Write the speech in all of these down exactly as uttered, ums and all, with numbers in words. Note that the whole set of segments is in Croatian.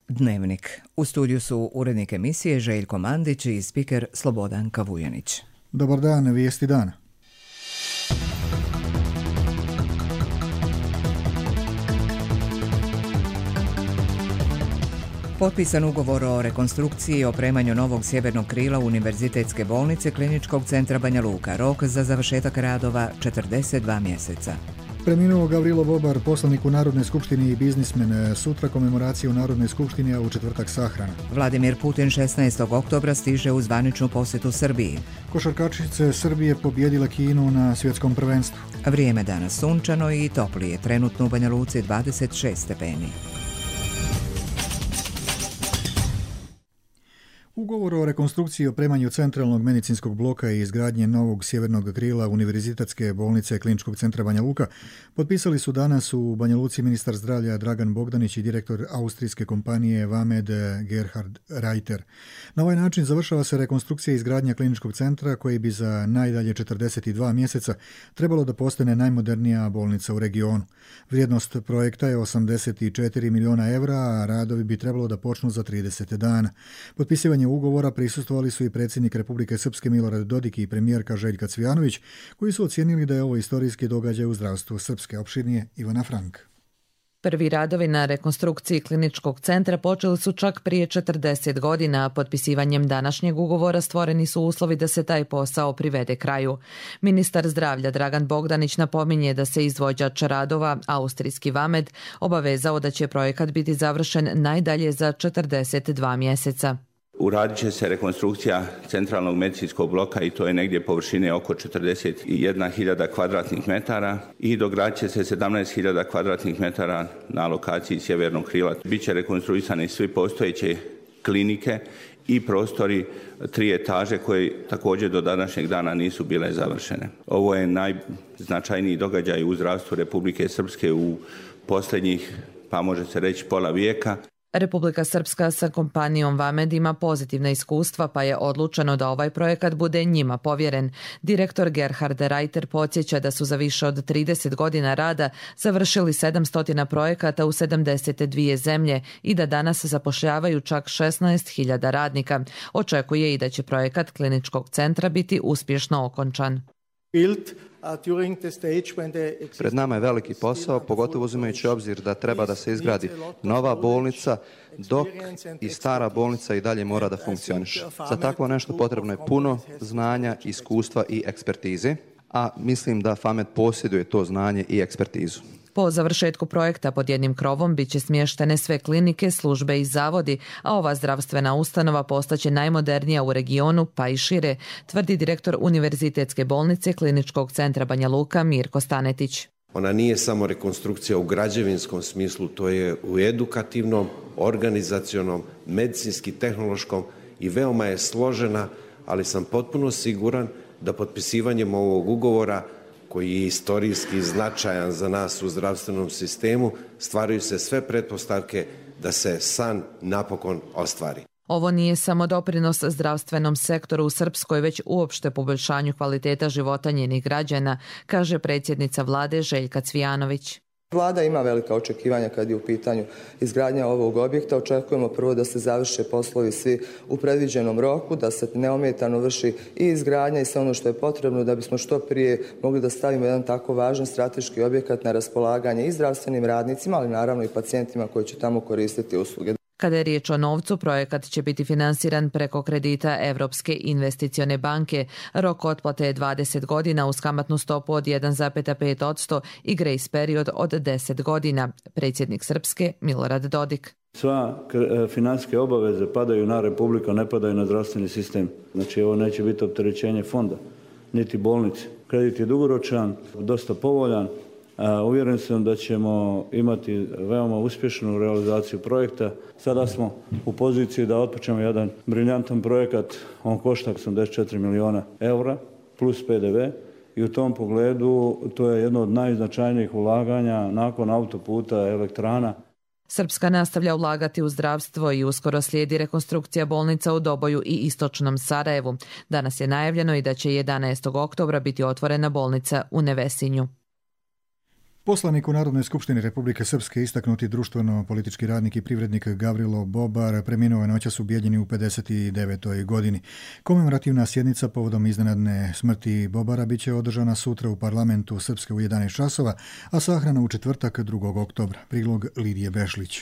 Dnevnik. U studiju su urednik emisije Željko Mandić i spiker Slobodan Kavujanić. Dobar dan, vijesti dana. Potpisan ugovor o rekonstrukciji i opremanju novog sjevernog krila Univerzitetske bolnice Kliničkog centra Banja Luka. Rok za završetak radova četrdeset dva mjeseca. Preminuo Gavrilo Bobar, poslanik u Narodnoj skupštini i biznismen. Sutra komemoracija u Narodnoj skupštini, a u četvrtak sahrana. Vladimir Putin šesnaestog oktobra stiže u zvaničnu posjetu Srbiji. Košarkašice Srbije pobijedile Kinu na svjetskom prvenstvu. Vrijeme danas sunčano i toplije. Trenutno u Banja Luci dvadeset šest stepeni. Ugovor o rekonstrukciji i opremanju centralnog medicinskog bloka i izgradnje novog sjevernog krila Univerzitetske bolnice Kliničkog centra Banja Luka potpisali su danas u Banja Luci ministar zdravlja Dragan Bogdanić i direktor austrijske kompanije Vamed Gerhard Reiter. Na ovaj način završava se rekonstrukcija i izgradnja kliničkog centra koji bi za najdalje četrdeset dva mjeseca trebalo da postane najmodernija bolnica u regionu. Vrijednost projekta je osamdeset četiri miliona evra, a radovi bi trebalo da počnu za trideset dana. Potpisivanje ugovora prisustvovali su i predsjednik Republike Srpske Milorad Dodik i premijerka Željka Cvijanović, koji su ocijenili da je ovo istorijski događaj u zdravstvu Srpske. Opširnije Ivana Frank. Prvi radovi na rekonstrukciji kliničkog centra počeli su čak prije četrdeset godina, a potpisivanjem današnjeg ugovora stvoreni su uslovi da se taj posao privede kraju. Ministar zdravlja Dragan Bogdanić napominje da se izvođač radova, austrijski Vamed, obavezao da će projekat biti završen najdalje za četrdeset dva mjeseca. Uradit će se rekonstrukcija centralnog medicinskog bloka i to je negdje površine oko četrdeset jedna hiljada kvadratnih metara i dogradit će se sedamnaest hiljada kvadratnih metara na lokaciji sjevernog krila. Biće rekonstruisane svi postojeće klinike i prostori tri etaže koje također do današnjeg dana nisu bile završene. Ovo je najznačajniji događaj u zdravstvu Republike Srpske u posljednjih, pa može se reći, pola vijeka. Republika Srpska sa kompanijom Vamed ima pozitivna iskustva, pa je odlučeno da ovaj projekat bude njima povjeren. Direktor Gerhard Reiter podsjeća da su za više od trideset godina rada završili sedamsto projekata u sedamdeset dvije zemlje i da danas zapošljavaju čak šesnaest hiljada radnika. Očekuje i da će projekat kliničkog centra biti uspješno okončan. Pred nama je veliki posao, pogotovo uzimajući obzir da treba da se izgradi nova bolnica, dok i stara bolnica i dalje mora da funkcioniše. Za takvo nešto potrebno je puno znanja, iskustva i ekspertize, a mislim da Vamed posjeduje to znanje i ekspertizu. Po završetku projekta pod jednim krovom bit će smještene sve klinike, službe i zavodi, a ova zdravstvena ustanova postaće najmodernija u regionu, pa i šire, tvrdi direktor Univerzitetske bolnice Kliničkog centra Banja Luka Mirko Stanetić. Ona nije samo rekonstrukcija u građevinskom smislu, to je u edukativnom, organizacionom, medicinski, tehnološkom i veoma je složena, ali sam potpuno siguran da potpisivanjem ovog ugovora, koji je istorijski značajan za nas u zdravstvenom sistemu, stvaraju se sve pretpostavke da se san napokon ostvari. Ovo nije samo doprinos zdravstvenom sektoru u Srpskoj, već uopšte poboljšanju kvaliteta života njenih građana, kaže predsjednica vlade Željka Cvijanović. Vlada ima velika očekivanja kad je u pitanju izgradnja ovog objekta. Očekujemo prvo da se završe poslovi svi u predviđenom roku, da se neometano vrši i izgradnja i sve ono što je potrebno da bismo što prije mogli da stavimo jedan tako važan strateški objekat na raspolaganje i zdravstvenim radnicima, ali naravno i pacijentima koji će tamo koristiti usluge. Kada je riječ o novcu, projekat će biti finansiran preko kredita Evropske investicione banke. Rok otplate je dvadeset godina uz kamatnu stopu od jedan zarez pet posto i grace period od deset godina. Predsjednik Srpske Milorad Dodik. Sva financijske obaveze padaju na Republiku, ne padaju na zdravstveni sistem. Znači ovo neće biti opterećenje fonda, niti bolnice. Kredit je dugoročan, dosta povoljan. Uvjeren sam da ćemo imati veoma uspješnu realizaciju projekta. Sada smo u poziciji da otpočnemo jedan briljantan projekat. On košta osamdeset četiri miliona eura plus pe de ve i u tom pogledu to je jedno od najznačajnijih ulaganja nakon autoputa, elektrana. Srpska nastavlja ulagati u zdravstvo i uskoro slijedi rekonstrukcija bolnica u Doboju i istočnom Sarajevu. Danas je najavljeno i da će jedanaestog oktobra biti otvorena bolnica u Nevesinju. Poslanik u Narodnoj skupštini Republike Srpske, istaknuti društveno-politički radnik i privrednik Gavrilo Bobar preminuo je noćas u Bijeljini u pedeset devetoj godini. Komemorativna sjednica povodom iznenadne smrti Bobara bit će održana sutra u parlamentu Srpske u jedanaest časova, a sahrana u četvrtak drugog oktobra. Prilog Lidije Bešlić.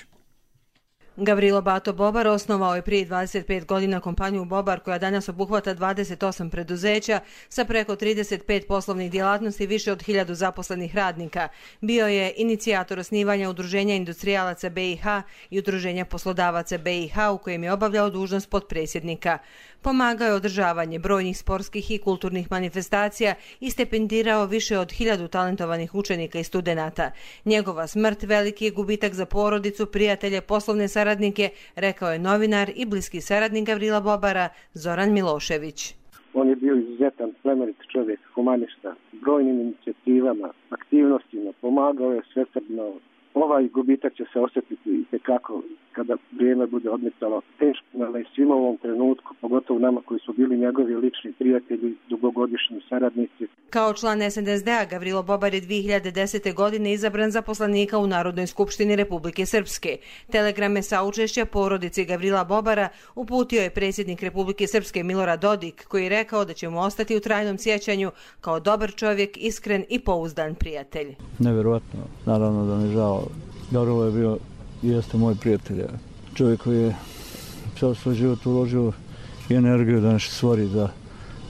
Gavrilo Bato Bobar osnovao je prije dvadeset pet godina kompaniju Bobar, koja danas obuhvata dvadeset osam preduzeća sa preko trideset pet poslovnih djelatnosti i više od hiljadu zaposlenih radnika. Bio je inicijator osnivanja Udruženja industrijalaca B i H i Udruženja poslodavaca B i H, u kojem je obavljao dužnost potpredsjednika. Pomagao je održavanje brojnih sportskih i kulturnih manifestacija i stipendirao više od hiljadu talentovanih učenika i studenata. Njegova smrt veliki je gubitak za porodicu, prijatelje, poslovne saradnike, rekao je novinar i bliski saradnik Gavrila Bobara Zoran Milošević. On je bio izuzetan, plemenit čovjek, humanista, brojnim inicijativama, aktivnostima, pomagao je svesrdno. Ovaj gubitak će se osjetiti i tekako kada vrijeme bude odmicalo. Teško nam je svima u ovom trenutku, pogotovo nama koji su bili njegovi lični prijatelji, dugogodišnji saradnici. Kao član S N S D-a Gavrilo Bobar je dvije hiljade desete. godine izabran za poslanika u Narodnoj skupštini Republike Srpske. Telegrame saučešća porodici Gavrila Bobara uputio je predsjednik Republike Srpske Milorad Dodik, koji je rekao da će mu ostati u trajnom sjećanju kao dobar čovjek, iskren i pouzdan prijatelj. Nevjerojatno, naravno da mi žao. Gavrilo je bio i jeste moj prijatelj. Čovjek koji je sav svoj život uložio i energiju da nešto stvori, da,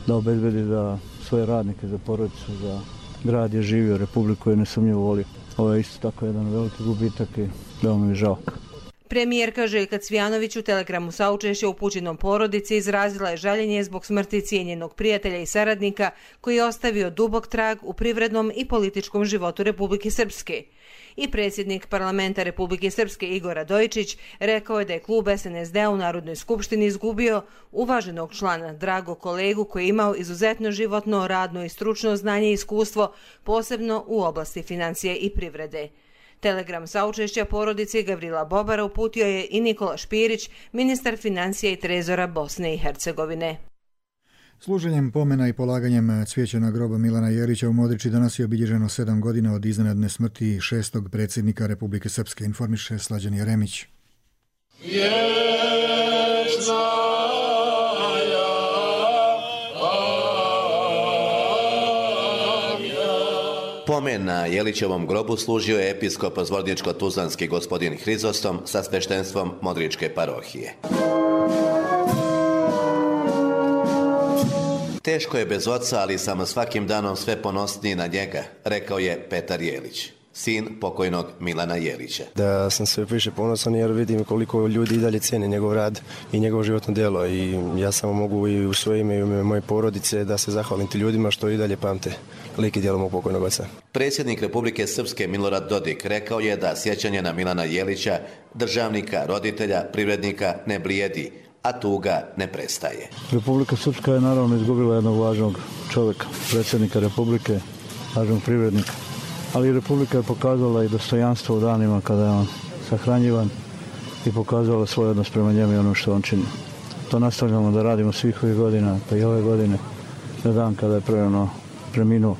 da obezbedi da svoje radnike, za porodicu, za grad je živio, Republiku je nesumnjivo volio. Ovo je isto tako jedan veliki gubitak i veoma mi je žao. Premijerka Željka Cvijanović u telegramu saučešća upućenom porodici izrazila je žaljenje zbog smrti cijenjenog prijatelja i saradnika koji je ostavio dubok trag u privrednom i političkom životu Republike Srpske. I predsjednik parlamenta Republike Srpske Igor Radojičić rekao je da je klub S N S D-a u Narodnoj skupštini izgubio uvaženog člana, dragog kolegu koji je imao izuzetno životno, radno i stručno znanje i iskustvo, posebno u oblasti financije i privrede. Telegram saučešća porodici Gavrila Bobara uputio je i Nikola Špirić, ministar financija i trezora Bosne i Hercegovine. Služenjem pomena i polaganjem cvijeća na grob Milana Jelića u Modriči danas je obilježeno sedam godina od iznenadne smrti šestog predsjednika Republike Srpske, informiše Slađan Jeremić. Pomen na Jelićevom grobu služio je episkop zvorničko-tuzlanski gospodin Hrizostom sa sveštenstvom Modričke parohije. Teško je bez oca, ali sam svakim danom sve ponosniji na njega, rekao je Petar Jelić, sin pokojnog Milana Jelića. Da sam sve više ponosan jer vidim koliko ljudi i dalje cijene njegov rad i njegovo životno djelo i ja samo mogu i u svoje ime i u ime moje porodice da se zahvalim ti ljudima što i dalje pamte lik i djelo mog pokojnog oca. Predsjednik Republike Srpske Milorad Dodik rekao je da sjećanje na Milana Jelića, državnika, roditelja, privrednika ne blijedi, a tuga ne prestaje. Republika Srpska je naravno izgubila jednog važnog čovjeka, predsjednika Republike, važnog privrednika. Ali Republika je pokazala i dostojanstvo u danima kada je on sahranjivan i pokazala svoj odnos prema njemu i ono što on čini. To nastavljamo da radimo svih ovih godina, pa i ove godine, na dan kada je prerano preminuo.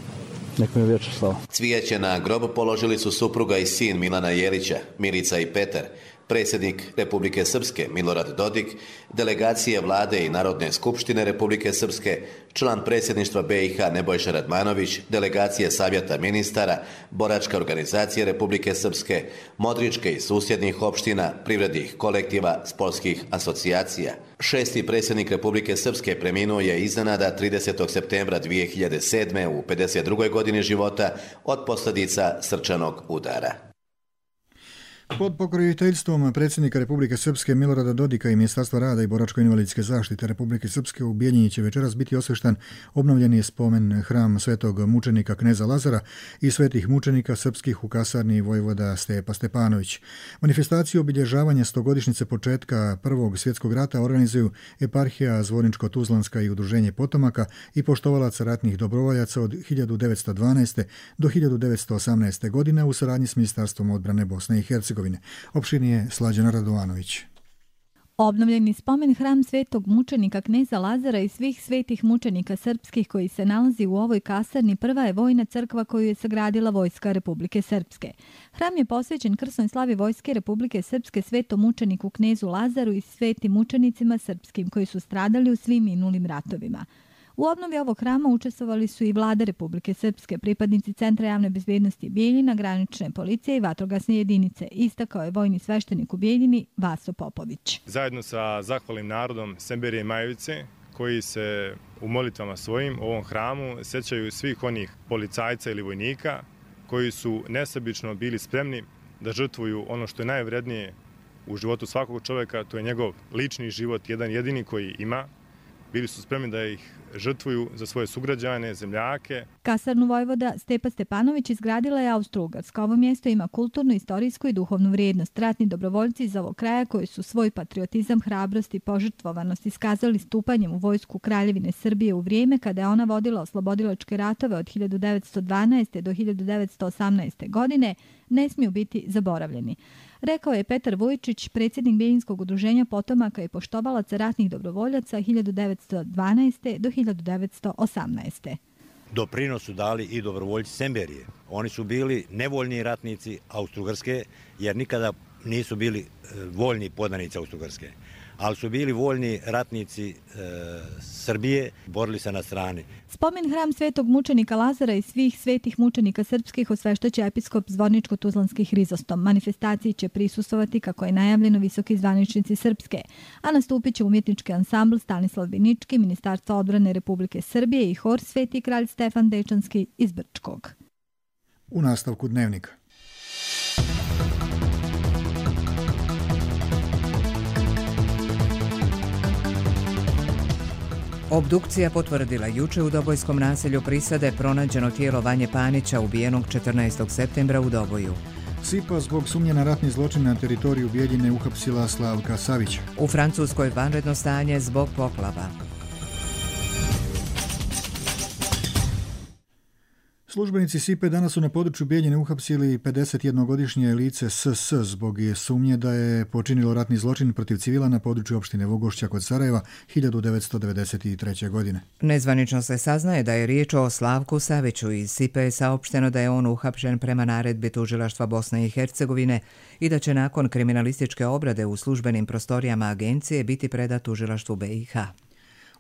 Nek mi je vječna slava. Cvijeće na grob položili su supruga i sin Milana Jelića, Milica i Petar, predsjednik Republike Srpske Milorad Dodik, delegacije vlade i Narodne skupštine Republike Srpske, član predsjedništva B i H Nebojša Radmanović, delegacije savjeta ministara, boračka organizacija Republike Srpske, Modričke i susjednih opština, privrednih kolektiva, sportskih asocijacija. Šesti predsjednik Republike Srpske preminuo je iznenada tridesetog septembra dvije hiljade sedme. u pedeset drugoj godini života od posljedica srčanog udara. Pod pokroviteljstvom predsjednika Republike Srpske Milorada Dodika i Ministarstva rada i boračko-invalidske zaštite Republike Srpske u Bijeljini će večeras biti osvešten obnovljeni spomen hram svetog mučenika kneza Lazara i svetih mučenika srpskih u kasarni vojvoda Stepa Stepanović. Manifestaciju obilježavanja stogodišnjice početka Prvog svjetskog rata organizuju eparhija Zvorničko-tuzlanska i Udruženje potomaka i poštovalaca ratnih dobrovoljaca od hiljadu devetsto dvanaeste. do hiljadu devetsto osamnaeste. godine u saradnji s Ministarstvom odbrane Bosne i Hercegovine. Opširnije Slađana Radovanović. Obnovljeni spomen hram svetog mučenika kneza Lazara i svih svetih mučenika srpskih koji se nalazi u ovoj kasarni prva je vojna crkva koju je sagradila Vojska Republike Srpske. Hram je posvećen krsnoj slavi Vojske Republike Srpske svetom mučeniku knezu Lazaru i svetim mučenicima srpskim koji su stradali u svim minulim ratovima. U obnovi ovog hrama učestvovali su i vlada Republike Srpske, pripadnici Centra javne bezbednosti Bijeljina, granične policije i vatrogasne jedinice, istakao je vojni sveštenik u Bijeljini Vaso Popović. Zajedno sa zahvalnim narodom Semberije i Majevice, koji se u molitvama svojim u ovom hramu sećaju svih onih policajca ili vojnika koji su nesebično bili spremni da žrtvuju ono što je najvrednije u životu svakog čovjeka, to je njegov lični život, jedan jedini koji ima. Bili su spremni da ih žrtvuju za svoje sugrađane, zemljake. Kasarnu Vojvoda Stepa Stepanović izgradila je Austro-Ugarska. Ovo mjesto ima kulturnu, istorijsku i duhovnu vrijednost. Ratni dobrovoljci iz ovog kraja koji su svoj patriotizam, hrabrost i požrtvovanost iskazali stupanjem u vojsku Kraljevine Srbije u vrijeme kada je ona vodila oslobodilačke ratove od hiljadu devetsto dvanaeste. do hiljadu devetsto osamnaeste. godine, ne smiju biti zaboravljeni. Rekao je Petar Vujčić, predsjednik Bijeljinskog udruženja potomaka i poštovalaca ratnih dobrovoljaca hiljadu devetsto dvanaeste. do hiljadu devetsto osamnaeste. Doprinos su dali i dobrovoljci Semberije. Oni su bili nevoljni ratnici Austro-Ugarske, jer nikada nisu bili voljni podanici Austro-Ugarske, ali su bili voljni ratnici e, Srbije, borili se na strani. Spomen hram svetog mučenika Lazara i svih svetih mučenika srpskih osveštaće episkop Zvorničko-Tuzlanski Hrizostom. Manifestaciji će prisustvovati, kako je najavljeno, visoki zvaničnici Srpske, a nastupit će umjetnički ansambl Stanislav Binički, Ministarstvo odbrane Republike Srbije i hor Sveti kralj Stefan Dečanski iz Brčkog. U nastavku dnevnika. Obdukcija potvrdila juče u Dobojskom naselju Prisade pronađeno tijelo Vanje Panića ubijenog četrnaestog septembra u Doboju. S I P A zbog sumnje na ratni zločin na teritoriju Bijeljine uhapsila Slavka Savića. U Francuskoj vanredno stanje zbog poplava. Službenici S I P A danas su na području Bijeljine uhapsili pedesetjednogodišnje lice S S zbog sumnje da je počinilo ratni zločin protiv civila na području opštine Vogošća kod Sarajeva hiljadu devetsto devedeset treće. godine. Nezvanično se saznaje da je riječ o Slavku Saviću. Iz S I P A je saopšteno da je on uhapšen prema naredbi tužilaštva Bosne i Hercegovine i da će nakon kriminalističke obrade u službenim prostorijama agencije biti predat tužilaštvu B i H.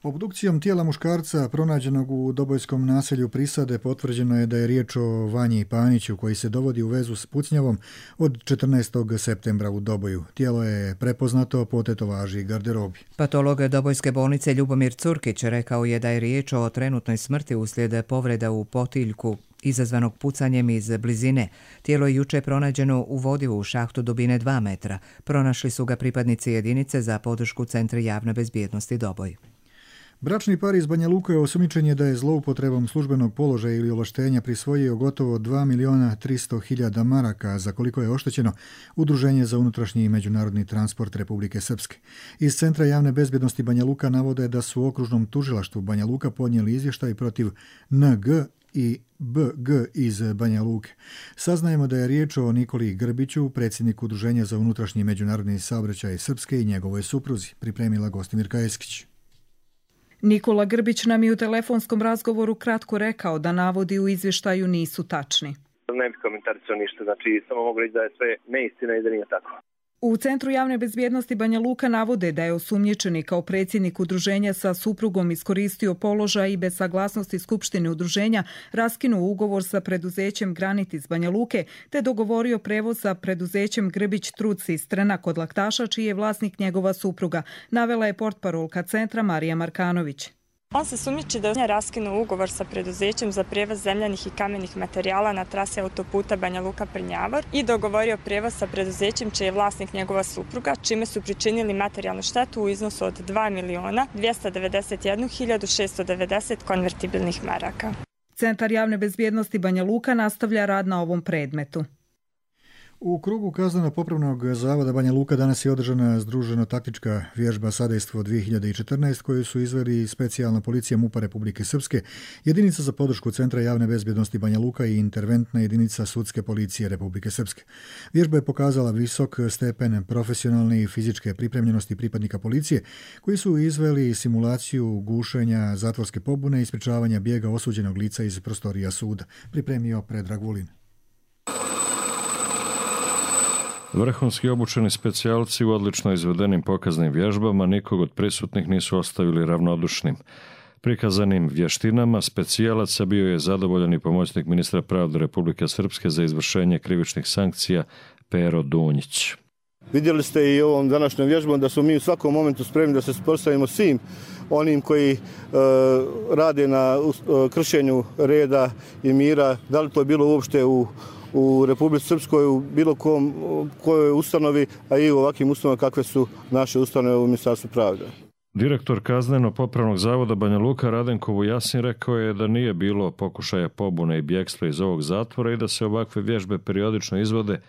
Obdukcijom tijela muškarca pronađenog u Dobojskom naselju Prisade potvrđeno je da je riječ o Vanji Paniću koji se dovodi u vezu s pucnjavom od četrnaestog septembra u Doboju. Tijelo je prepoznato po tetovaži i garderobi. Patolog Dobojske bolnice Ljubomir Curkić rekao je da je riječ o trenutnoj smrti uslijed povreda u potiljku izazvanog pucanjem iz blizine. Tijelo je juče pronađeno u vodi u šahtu dubine dva metra. Pronašli su ga pripadnici jedinice za podršku Centra javne bezbjednosti Doboj. Bračni par iz Banja Luke je osumnjičen da je zloupotrebom službenog položaja ili ovlaštenja prisvojio gotovo dva miliona tristo hiljada maraka, za koliko je oštećeno Udruženje za unutrašnji i međunarodni transport Republike Srpske. Iz Centra javne bezbjednosti Banja Luka navode da su u okružnom tužilaštvu Banja Luka podnijeli izvještaj protiv N G i B G iz Banja Luke. Saznajemo da je riječ o Nikoli Grbiću, predsjedniku Udruženja za unutrašnji i međunarodni saobraćaj Srpske i njegovoj supruzi, pripremila Gostimirka Eskić. Nikola Grbić nam je u telefonskom razgovoru kratko rekao da navodi u izvještaju nisu tačni. Ne bih komentarisao ništa, znači samo mogu reći da je sve neistina i da nije tako. U Centru javne bezbjednosti Banja Luka navode da je osumnjičeni kao predsjednik udruženja sa suprugom iskoristio položaj i bez saglasnosti Skupštine udruženja raskinuo ugovor sa preduzećem Granit iz Banja Luke te dogovorio prevoz sa preduzećem Grbić Trud Sistrana kod Laktaša, čiji je vlasnik njegova supruga, navela je portparolka Centra Marija Markanović. On se sumnjiči da je raskinuo ugovor sa preduzećem za prevoz zemljanih i kamenih materijala na trasi autoputa Banja Luka-Prnjavor i dogovorio prevoz sa preduzećem čiji je vlasnik njegova supruga, čime su pričinili materijalnu štetu u iznosu od dva miliona dvjesto devedeset jednu hiljadu šesto devedeset konvertibilnih maraka. Centar javne bezbjednosti Banja Luka nastavlja rad na ovom predmetu. U krugu kazneno-popravnog zavoda Banja Luka danas je održana združeno-taktička vježba Sadejstvo dvije hiljade četrnaest koju su izveli specijalna policija MUP-a Republike Srpske, jedinica za podršku Centra javne bezbjednosti Banja Luka i interventna jedinica sudske policije Republike Srpske. Vježba je pokazala visok stepen profesionalne i fizičke pripremljenosti pripadnika policije koji su izveli simulaciju gušenja zatvorske pobune i sprečavanja bijega osuđenog lica iz prostorija suda. Pripremio Predrag Vulin. Vrhunski obučeni specijalci u odlično izvedenim pokaznim vježbama nikog od prisutnih nisu ostavili ravnodušnim. Prikazanim vještinama specijalaca bio je zadovoljan i pomoćnik ministra pravde Republike Srpske za izvršenje krivičnih sankcija Pero Dunjić. Vidjeli ste i ovom današnjom vježbom da smo mi u svakom momentu spremni da se suprotstavimo svim onim koji e, rade na e, kršenju reda i mira, da li to je bilo uopšte u u Republici Srpskoj, u bilo kom, kojoj ustanovi, a i u ovakvim ustanovama kakve su naše ustanove u Ministarstvu pravde. Direktor kazneno-popravnog zavoda Banja Luka Radenko Vujasin rekao je da nije bilo pokušaja pobune i bjegstva iz ovog zatvora i da se ovakve vježbe periodično izvode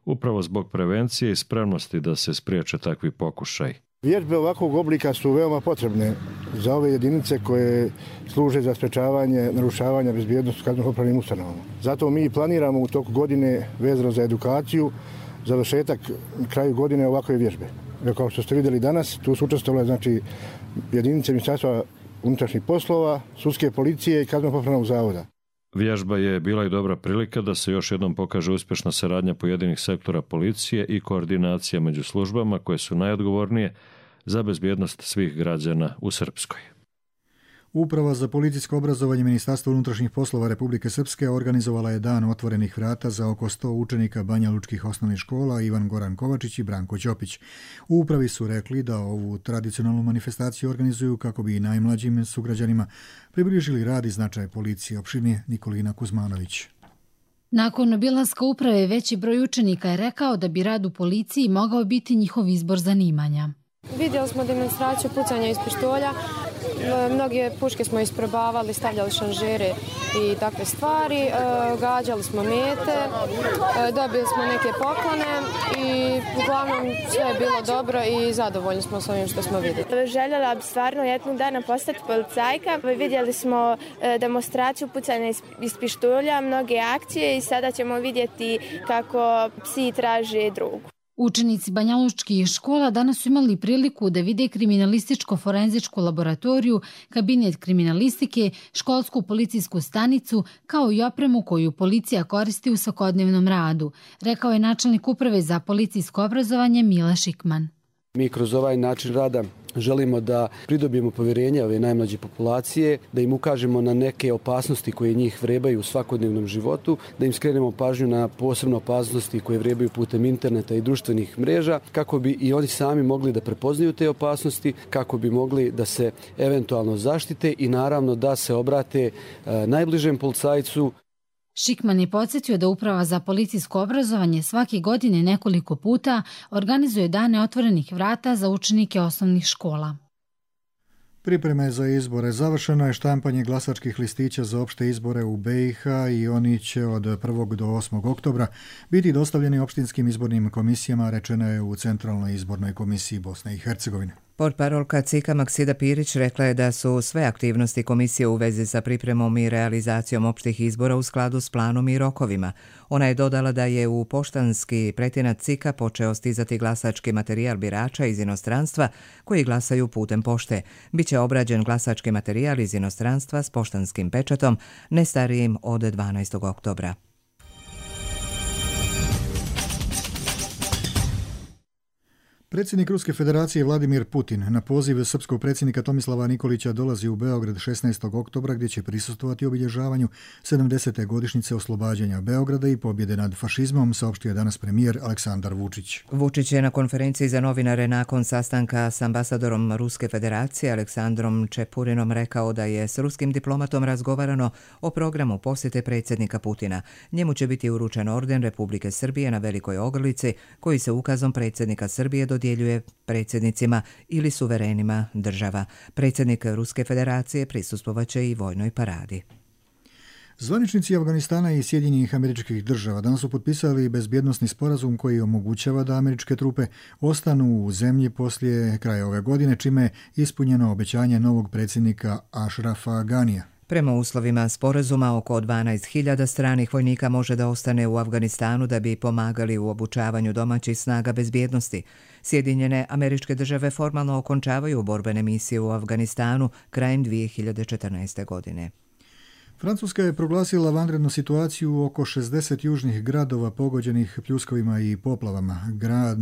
upravo zbog prevencije i spremnosti da se spriječe takvi pokušaj. Vježbe ovakvog oblika su veoma potrebne za ove jedinice koje služe za sprečavanje narušavanja bezbjednosti u kazneno-popravnim ustanovama. Zato mi planiramo u toku godine vezano za edukaciju, završetak kraju godine ovakve vježbe. Kao što ste vidjeli danas, tu su učestvovale znači, jedinice Ministarstva unutrašnjih poslova, sudske policije i kazneno-popravnog zavoda. Vježba je bila i dobra prilika da se još jednom pokaže uspješna saradnja pojedinih sektora policije i koordinacija među službama koje su najodgovornije za bezbjednost svih građana u Srpskoj. Uprava za policijsko obrazovanje Ministarstva unutrašnjih poslova Republike Srpske organizovala je dan otvorenih vrata za oko sto učenika Banja Lučkih osnovnih škola Ivan Goran Kovačić i Branko Ćopić. U upravi su rekli da ovu tradicionalnu manifestaciju organizuju kako bi i najmlađim sugrađanima približili rad i značaj policije. Opširnije Nikolina Kuzmanović. Nakon obilaska uprave veći broj učenika je rekao da bi rad u policiji mogao biti njihov izbor zanimanja. Vidjeli smo demonstraciju pucanja iz pištolja. Mnoge puške smo isprobavali, stavljali šanžere i takve stvari, gađali smo mete, dobili smo neke poklone i uglavnom sve je bilo dobro i zadovoljni smo s ovim što smo vidjeli. Željela bi stvarno jednog dana postati policajka. Vidjeli smo demonstraciju pucanja iz pištolja, mnoge akcije i sada ćemo vidjeti kako psi traže drugu. Učenici banjalučkih škola danas su imali priliku da vide kriminalističko-forenzičku laboratoriju, kabinet kriminalistike, školsku policijsku stanicu, kao i opremu koju policija koristi u svakodnevnom radu, rekao je načelnik uprave za policijsko obrazovanje Mile Šikman. Mi kroz ovaj način rada želimo da pridobijemo povjerenje ove najmlađe populacije, da im ukažemo na neke opasnosti koje njih vrebaju u svakodnevnom životu, da im skrenemo pažnju na posebne opasnosti koje vrebaju putem interneta i društvenih mreža, kako bi i oni sami mogli da prepoznaju te opasnosti, kako bi mogli da se eventualno zaštite i naravno da se obrate najbližem policajcu. Šikman je podsjetio da Uprava za policijsko obrazovanje svake godine nekoliko puta organizuje dane otvorenih vrata za učenike osnovnih škola. Pripreme za izbore. Završeno je štampanje glasačkih listića za opšte izbore u B i H i oni će od prvog do osmog oktobra biti dostavljeni opštinskim izbornim komisijama, rečeno je u Centralnoj izbornoj komisiji Bosne i Hercegovine. Portparolka C I K-a Maksida Pirić rekla je da su sve aktivnosti komisije u vezi sa pripremom i realizacijom opštih izbora u skladu s planom i rokovima. Ona je dodala da je u poštanski pretinac C I K-a počeo stizati glasački materijal birača iz inostranstva koji glasaju putem pošte. Biće obrađen glasački materijal iz inostranstva s poštanskim pečatom ne starijim od dvanaestog oktobra. Predsjednik Ruske federacije Vladimir Putin na poziv srpskog predsjednika Tomislava Nikolića dolazi u Beograd šesnaestog oktobra gdje će prisustvovati obilježavanju sedamdesete godišnjice oslobađanja Beograda i pobjede nad fašizmom, saopštio je danas premijer Aleksandar Vučić. Vučić je na konferenciji za novinare nakon sastanka s ambasadorom Ruske federacije Aleksandrom Čepurinom rekao da je s ruskim diplomatom razgovarano o programu posjete predsjednika Putina. Njemu će biti uručen orden Republike Srbije na Velikoj Ogrlici koji se ukazom predsjednika Srbije dodjeljuje predsjednicima ili suverenima država. Predsjednik Ruske federacije prisustvovaće i vojnoj paradi. Zvaničnici Afganistana i Sjedinjenih Američkih Država danas su potpisali bezbjednosni sporazum koji omogućava da američke trupe ostanu u zemlji poslije kraja ove godine, čime je ispunjeno obećanje novog predsjednika Ashrafa Ganija. Prema uslovima sporazuma, oko dvanaest hiljada stranih vojnika može da ostane u Afganistanu da bi pomagali u obučavanju domaćih snaga bezbjednosti. Sjedinjene Američke Države formalno okončavaju borbene misije u Afganistanu krajem dvije hiljade četrnaeste. godine. Francuska je proglasila vanrednu situaciju u oko šezdeset južnih gradova pogođenih pljuskovima i poplavama. Grad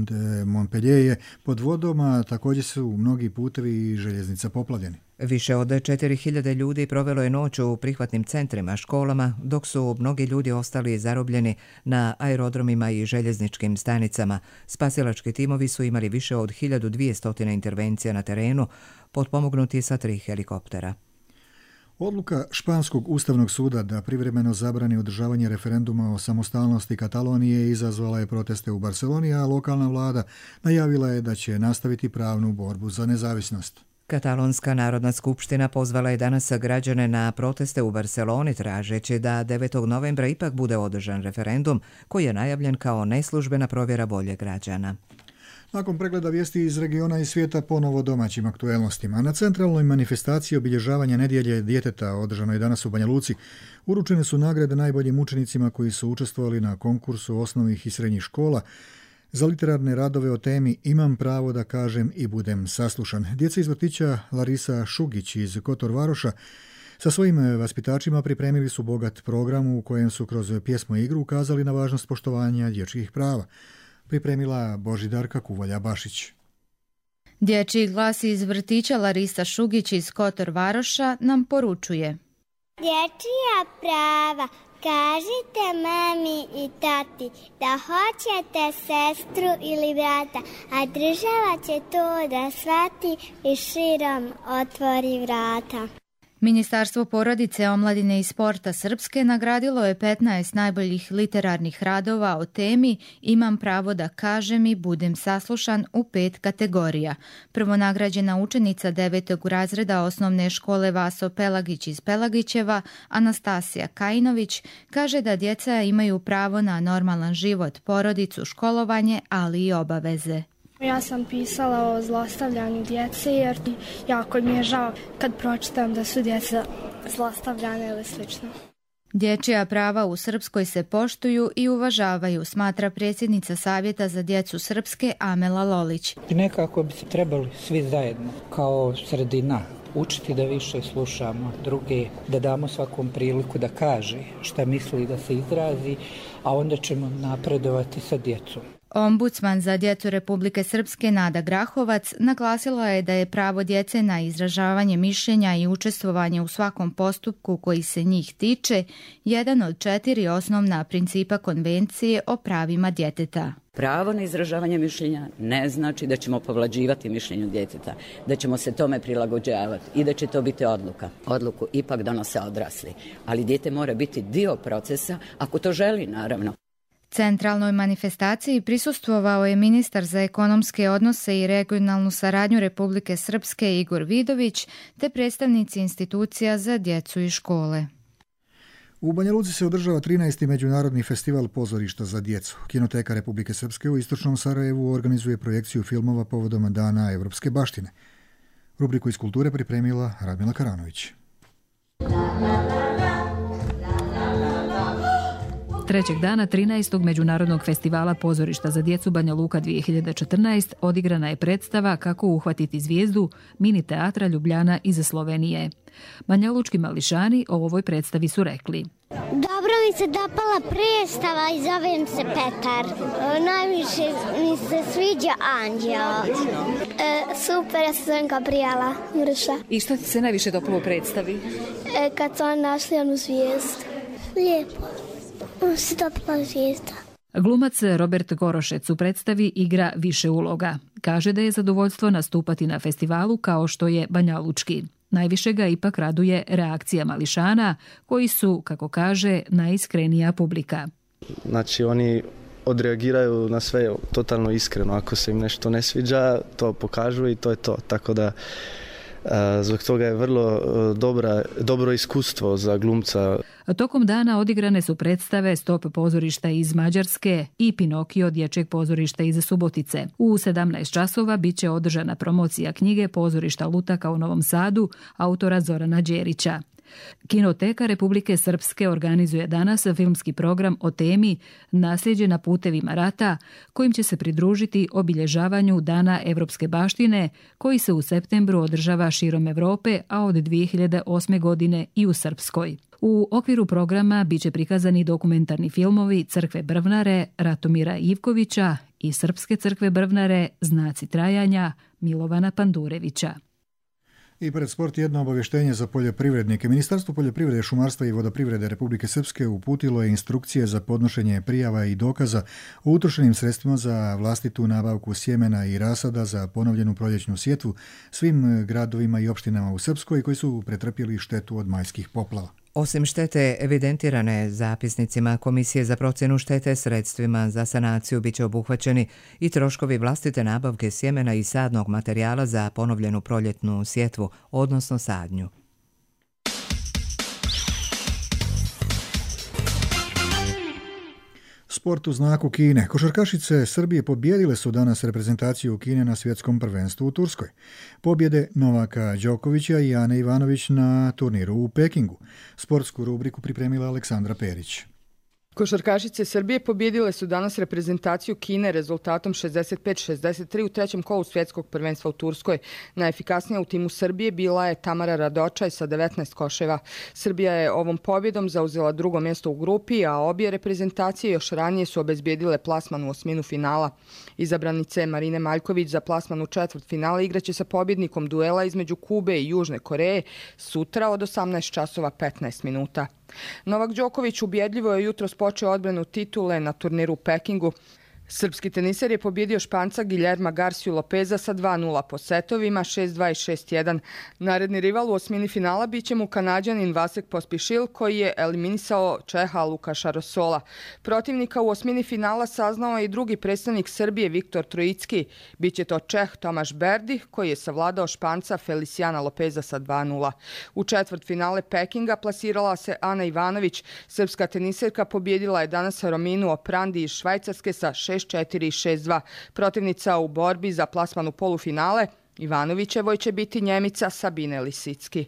Montpellier je pod vodom, a također su mnogi putevi i željeznica poplavljeni. Više od četiri hiljade ljudi provelo je noć u prihvatnim centrima, školama, dok su mnogi ljudi ostali zarobljeni na aerodromima i željezničkim stanicama. Spasilački timovi su imali više od hiljadu dvjesto intervencija na terenu, potpomognuti sa tri helikoptera. Odluka Španskog ustavnog suda da privremeno zabrani održavanje referenduma o samostalnosti Katalonije izazvala je proteste u Barceloni, a lokalna vlada najavila je da će nastaviti pravnu borbu za nezavisnost. Katalonska narodna skupština pozvala je danas građane na proteste u Barceloni, tražeći da devetog novembra ipak bude održan referendum koji je najavljen kao neslužbena provjera volje građana. Nakon pregleda vijesti iz regiona i svijeta, ponovo domaćim aktuelnostima. Na centralnoj manifestaciji obilježavanja nedjelje djeteta, održanoj danas u Banja Luci, uručene su nagrade najboljim učenicima koji su učestvovali na konkursu osnovnih i srednjih škola za literarne radove o temi Imam pravo da kažem i budem saslušan. Djeca iz vrtića Larisa Šugić iz Kotor Varoša sa svojim vaspitačima pripremili su bogat program u kojem su kroz pjesmu i igru ukazali na važnost poštovanja dječjih prava. Pripremila Božidarka Kuvalja-Bašić. Dječji glas iz vrtića Larisa Šugić iz Kotor Varoša nam poručuje: Dječja prava, kažite mami i tati da hoćete sestru ili brata, a država će to da shvati i širom otvori vrata. Ministarstvo porodice, omladine i sporta Srpske nagradilo je petnaest najboljih literarnih radova o temi Imam pravo da kažem i budem saslušan u pet kategorija. Prvonagrađena učenica devetog razreda osnovne škole Vaso Pelagić iz Pelagićeva, Anastasija Kajinović, kaže da djeca imaju pravo na normalan život, porodicu, školovanje, ali i obaveze. Ja sam pisala o zlostavljanju djece jer jako mi je žao kad pročitam da su djeca zlostavljane ili slično. Dječja prava u Srpskoj se poštuju i uvažavaju, smatra predsjednica Savjeta za djecu Srpske Amela Lolić. I nekako bi se trebali svi zajedno kao sredina učiti da više slušamo druge, da damo svakom priliku da kaže šta misli, da se izrazi, a onda ćemo napredovati sa djecom. Ombudsman za djecu Republike Srpske Nada Grahovac naglasila je da je pravo djece na izražavanje mišljenja i učestvovanje u svakom postupku koji se njih tiče jedan od četiri osnovna principa Konvencije o pravima djeteta. Pravo na izražavanje mišljenja ne znači da ćemo povlađivati mišljenju djeteta, da ćemo se tome prilagođavati i da će to biti odluka. Odluku ipak donose odrasli, ali dijete mora biti dio procesa ako to želi, naravno. Centralnoj manifestaciji prisustvovao je ministar za ekonomske odnose i regionalnu saradnju Republike Srpske Igor Vidović te predstavnici institucija za djecu i škole. U Banja Luci se održava trinaesti međunarodni festival pozorišta za djecu. Kinoteka Republike Srpske u istočnom Sarajevu organizuje projekciju filmova povodom Dana evropske baštine. Rubriku iz kulture pripremila Radmila Karanović. Trećeg dana trinaestog Međunarodnog festivala pozorišta za djecu Banja Luka dvije hiljade četrnaeste odigrana je predstava Kako uhvatiti zvijezdu mini teatra Ljubljana iz Slovenije. Banjalučki mališani o ovoj predstavi su rekli: Dobro mi se dopala predstava i zovem se Petar. Najviše mi se sviđa Anđeo. E, super, ja se zovem Gabriela Mrša. I što ti se najviše dopalo u predstavi? E, kad su oni našli onu zvijezdu. Lijepo. Se dopala zvijezda. Glumac Robert Gorošec u predstavi igra više uloga. Kaže da je zadovoljstvo nastupati na festivalu kao što je banjalučki. Najviše ga ipak raduje reakcija mališana, koji su, kako kaže, najiskrenija publika. Znači, oni odreagiraju na sve totalno iskreno. Ako se im nešto ne sviđa, to pokažu i to je to. Tako da Zbog toga je vrlo dobra, dobro iskustvo za glumca. Tokom dana odigrane su predstave Stop pozorišta iz Mađarske i Pinokio dječjeg pozorišta iz Subotice. U sedamnaest časova bit će održana promocija knjige Pozorišta Lutaka u Novom Sadu autora Zorana Đerića. Kinoteka Republike Srpske organizuje danas filmski program o temi Nasljeđe na putevima rata, kojim će se pridružiti obilježavanju Dana evropske baštine, koji se u septembru održava širom Evrope, a od dvije hiljade osme. godine i u Srpskoj. U okviru programa biće prikazani dokumentarni filmovi Crkve Brvnare Ratomira Ivkovića i Srpske crkve Brvnare Znaci trajanja Milovana Pandurevića. I pred sport jedno obavještenje za poljoprivrednike. Ministarstvo poljoprivrede, šumarstva i vodoprivrede Republike Srpske uputilo je instrukcije za podnošenje prijava i dokaza o utrošenim sredstvima za vlastitu nabavku sjemena i rasada za ponovljenu proljećnu sjetvu svim gradovima i opštinama u Srpskoj koji su pretrpjeli štetu od majskih poplava. Osim štete evidentirane zapisnicima Komisije za procjenu štete sredstvima za sanaciju bit će obuhvaćeni i troškovi vlastite nabavke sjemena i sadnog materijala za ponovljenu proljetnu sjetvu, odnosno sadnju. Sport u znaku Kine. Košarkašice Srbije pobijedile su danas reprezentaciju Kine na svjetskom prvenstvu u Turskoj. Pobjede Novaka Đokovića i Ane Ivanović na turniru u Pekingu. Sportsku rubriku pripremila Aleksandra Perić. Košarkašice Srbije pobjedile su danas reprezentaciju Kine rezultatom šezdeset pet šezdeset tri u trećem kolu svjetskog prvenstva u Turskoj. Najefikasnija u timu Srbije bila je Tamara Radočaj sa devetnaest koševa. Srbija je ovom pobjedom zauzela drugo mjesto u grupi, a obje reprezentacije još ranije su obezbijedile plasman u osminu finala. Izabranice Marine Maljković za plasman u četvrt finala igraće sa pobjednikom duela između Kube i Južne Koreje sutra od osamnaest časova petnaest minuta. Novak Đoković ubjedljivo je jutros počeo odbranu titule na turniru u Pekingu. Srpski teniser je pobjedio Španca Guillerma Garciju Lopeza sa dva nula po setovima, šest dva i šest jedan. Naredni rival u osmini finala bit će mu Kanađanin Vasek Pospišil, koji je eliminisao Čeha Lukaša Rosola. Protivnika u osmini finala saznao je i drugi predstavnik Srbije Viktor Trojicki. Biće to Čeh Tomaš Berdi, koji je savladao Španca Feliciana Lopeza sa dva nula. U četvrt finale Pekinga plasirala se Ana Ivanović. Srpska teniserka pobjedila je danas Rominu Oprandi iz Švajcarske sa šest četiri i šest dva. Protivnica u borbi za plasman u polufinale Ivanovićevoj će biti Njemica Sabine Lisicki.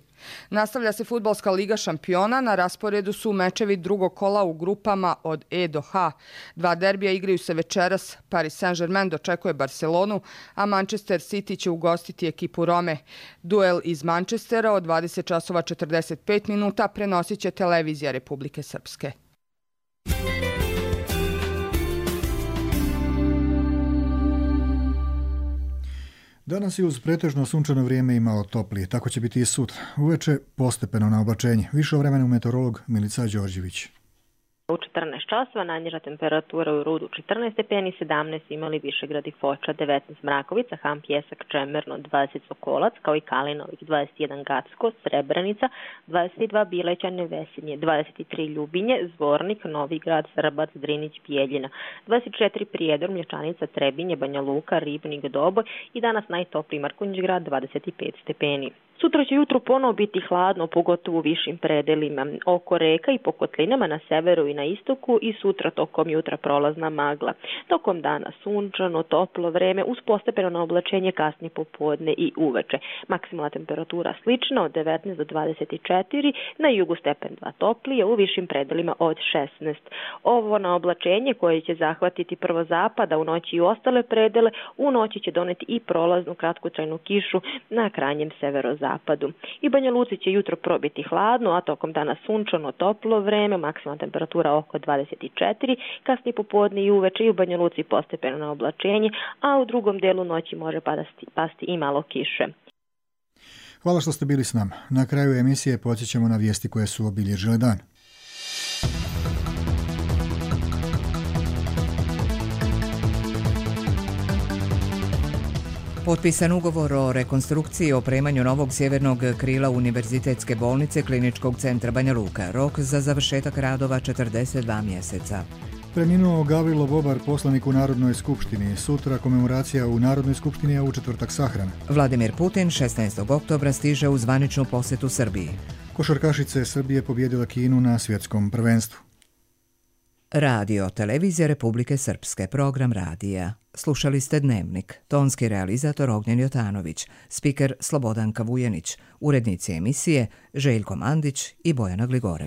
Nastavlja se fudbalska liga šampiona, na rasporedu su mečevi drugog kola u grupama od E do H. Dva derbija igraju se večeras, Paris Saint-Germain dočekuje Barcelonu, a Manchester City će ugostiti ekipu Rome. Duel iz Manchestera od dvadeset časova četrdeset pet minuta prenosit će televizija Republike Srpske. Danas je uz pretežno sunčano vrijeme i malo toplije, tako će biti i sutra. Uveče postepeno na oblačenje. Više o vremenu meteorolog Milica Đorđević. U četrnaest časova najniža temperatura u Rudu četrnaest stepeni, sedamnaest imali Višegrad i Foča, devetnaest Mrakovica, Ham, Pjesak, Čemerno, dvadeset Sokolac, kao i Kalinovik, dvadeset jedan Gacko, Srebrenica, dvadeset dva Bilećane, Vesinje, dvadeset tri Ljubinje, Zvornik, Novi Grad, Srbac, Drinić, Bijeljina, dvadeset četiri Prijedor, Mlječanica, Trebinje, Banja Luka, Ribnik, Doboj i danas najtopliji Markonjić grad, dvadeset pet stepeni. Sutra će jutro ponovo biti hladno, pogotovo u višim predelima, oko reka i po kotlinama na severu i na istoku i sutra tokom jutra prolazna magla. Tokom dana sunčano, toplo vreme uz postepeno oblačenje kasnije popodne i uveče. Maksimalna temperatura slična od devetnaest do dvadeset četiri, na jugu stepen dva toplije, u višim predelima od šesnaest. Ovo na oblačenje koje će zahvatiti prvo zapada u noći i ostale predele, u noći će doneti i prolaznu kratkotrajnu kišu na krajnjem severozapadu. Zapadu. I Banja Luci će jutro probiti hladno, a tokom dana sunčano toplo vreme, maksimalna temperatura oko dvadeset četiri, kasnije popodne i uveče i u Banja Luci postepeno na oblačenje, a u drugom delu noći može pasti, pasti i malo kiše. Hvala što ste bili s nama. Na kraju emisije podsjećamo na vijesti koje su obilježile dan. Potpisan ugovor o rekonstrukciji i opremanju novog sjevernog krila Univerzitetske bolnice Kliničkog centra Banja Luka. Rok za završetak radova četrdeset dva mjeseca. Preminuo Gavrilo Bobar, poslanik u Narodnoj skupštini. Sutra komemoracija u Narodnoj skupštini, a u četvrtak sahrana. Vladimir Putin šesnaestog oktobra stiže u zvaničnu posjetu Srbiji. Košarkašice Srbije pobjedila Kinu na svjetskom prvenstvu. Radio, televizija Republike Srpske, program radija. Slušali ste Dnevnik, tonski realizator Ognjen Jotanović, spiker Slobodanka Vujenić, urednici emisije Željko Mandić i Bojana Gligorević.